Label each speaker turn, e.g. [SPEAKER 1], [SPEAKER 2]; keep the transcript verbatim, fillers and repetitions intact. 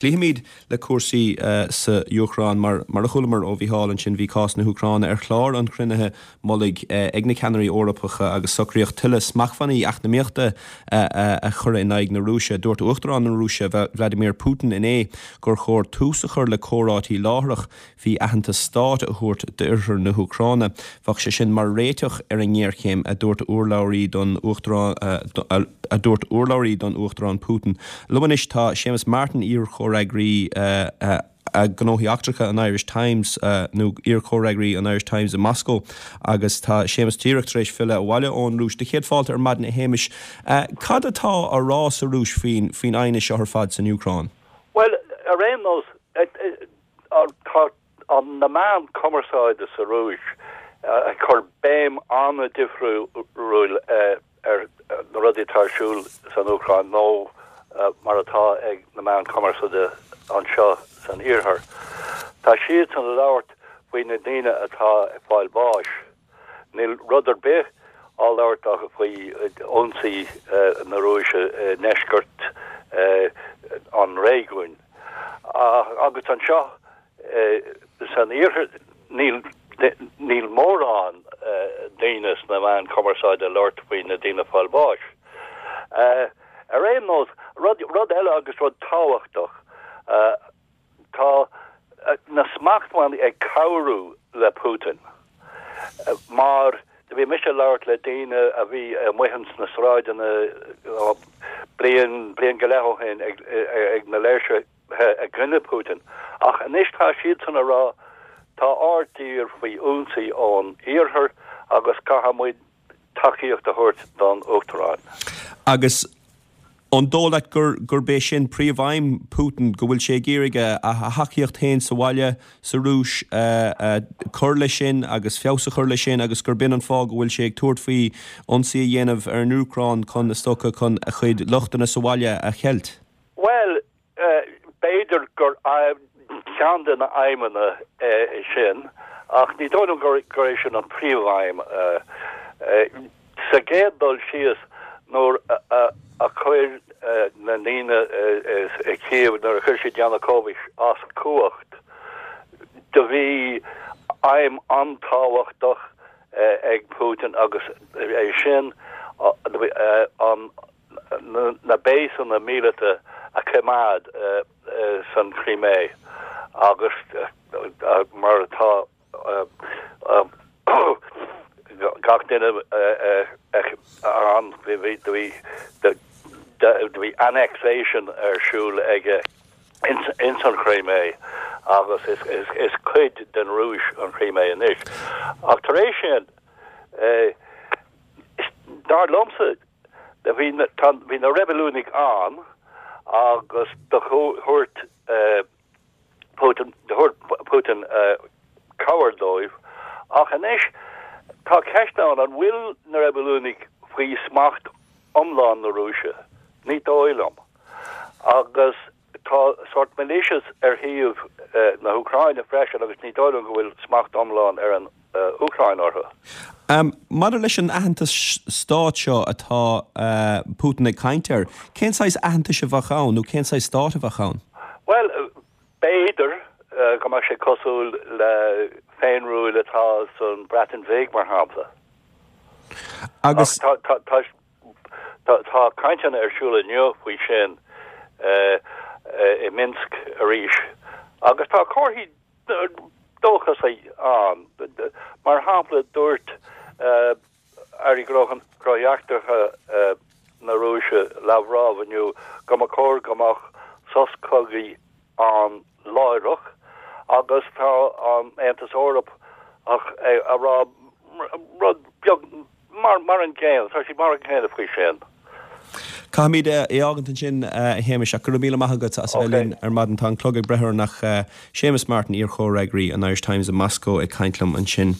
[SPEAKER 1] Cloífimid le cúrsaí sa Úcráin. Mar mar a chualamar ó Mhícheál ansin bhí cás na hÚcráine ar chlár an chruinnithe mullaigh ag na ceannairí Eorpacha agus socraíodh tuilleadh smachtbhannaí eacnamaíochta a chur in aghaidh na Rúise. Dúirt Uachtarán na Rúise Vladimir Putin inné gur chóir tús a chur le comhráití láithreach faoi aitheantas stáit a thabhairt d'oirthear na hÚcráine. Bheadh sé sin mar réiteach ar an ngéarchéim a dúirt urlabhraí don Uachtarán a dúirt urlabhraí don Uachtarán Putin. Liom anois tá Séamus Martin iar-chomhfhreagraí gnóthaí eachtracha an Irish Times nó iar-chomhfhreagraí an Irish Times i Moscow agus tá Séamus díreach tar éis filleadh abhaile ón Rúis. Do chéad fáilte ar maidin a Shéamais. Cad atá á rá sa Rúis faoin faoin aighneas seo ar fad san Úcráin?
[SPEAKER 2] Well ar aon nós tá an na meáin cumarsáide sa Rúis ag cur béim an-difriúil ar na rudaí atá ar siúl san Úcráin nó mar atá ag na meáin cumarsáide anseo san iarthar. Tá siad ag labhairt faoi na daoine atá ag fáil bháis. Níl rud ar bith á labhairt acu faoi ionsaí na Rúise i ndeisceart an réigiúin. Agus anseo san iarthar níl níl mórán daoine sna meáin cumarsáide ag labhairt faoi na daoine ag fáil bháis. Ar aon nós rud rud eile agus rud tábhachtach tá na smachtbhannaí ag cabhrú le Putin. Mar bhí mise ag labhairt le daoine a bhí amuigh sna sráideanna bliain bliain go leith ó shin ag ag na léirsithe i gcoinne Putin. Ach anois tá siadsan ag rá tá ár dtír faoi ionsaí ón iarthar agus caithfidh muid tacaíocht a thabhairt don Uachtarán.
[SPEAKER 1] Agus an dóigh leat gur gurb é sin príomhaidhm Putin go bhfuil sé ag iarraidh a thacaíocht féin sa bhaile sa Rúis cur leis sin agus feabhas a chur leis sin agus gur b'in an fáth go bhfuil sé ag tabhairt faoi ionsaí a dhéanamh ar an Úcráin chun is dócha chun a chuid luchtanna sa bhaile a cheilt.
[SPEAKER 2] Well b'fhéidir gur ceann de na aidhmeanna sin ach ní dóigh liom gur gur é sin an príomhaidhm sa gcéad dul síos nuair a chuir na daoine i Kiev nuair a chuir siad Yanukovych as cumhacht do bhí aidhm an-tábhachtach ag Putin agus é sin an na béasanna míleata a choimeád san Crimea agus mar atá gach duine an bhí bhí annexation ar siúl aige ins an Crimea agus is, is, is cuid den Rúis an Crimea anois. Ach tar éis sin dar liomsa bhí bhí na reibiliúnaigh ann agus do thabhairt Putin Putin cabhair dóibh ach anois tá ceist ann an bhfuil na reibiliúnaigh faoi smacht iomlán na Rúise ní dóigh liom agus tá sort militias ar thaobh na hÚcráine freisin agus ní dóigh liom go bhfuil smacht iomlán ar an Úcráin orthu.
[SPEAKER 1] Um, Maidir leis an aitheantas stáit seo atá uh, Putin ag caint air, cén saghas aitheantais a bheadh ann nó cén saghas stát a bheadh ann?
[SPEAKER 2] Well b'fhéidir uh, go mbeadh sé cosúil le féinriail atá san Breatain Bheag mar shampla.
[SPEAKER 1] Agus
[SPEAKER 2] tá cainteanna ar siúl inniu faoi sin uh, uh, i Minsk arís. Agus tá comharthaí dóchasacha ann mar shampla dúirt uh, Airí Gnóthaí Eachtracha uh, na Rúise Lavrov inniu go mba chóir go mbeadh sos cogaidh ann láithreach agus tá an Aontas Eorpach ag rá rud beag mar mar an gcéanna tá sí mar an gcéanna faoi sin.
[SPEAKER 1] Caithfimid é a fhágaint ansin a Shéamais ach go raibh míle maith agat as a bheith linn ar maidin tá an clog ag breith nach Séamus Martin iar-chomhfhreagraí an Irish Times i Moscow ag caint liom ansin.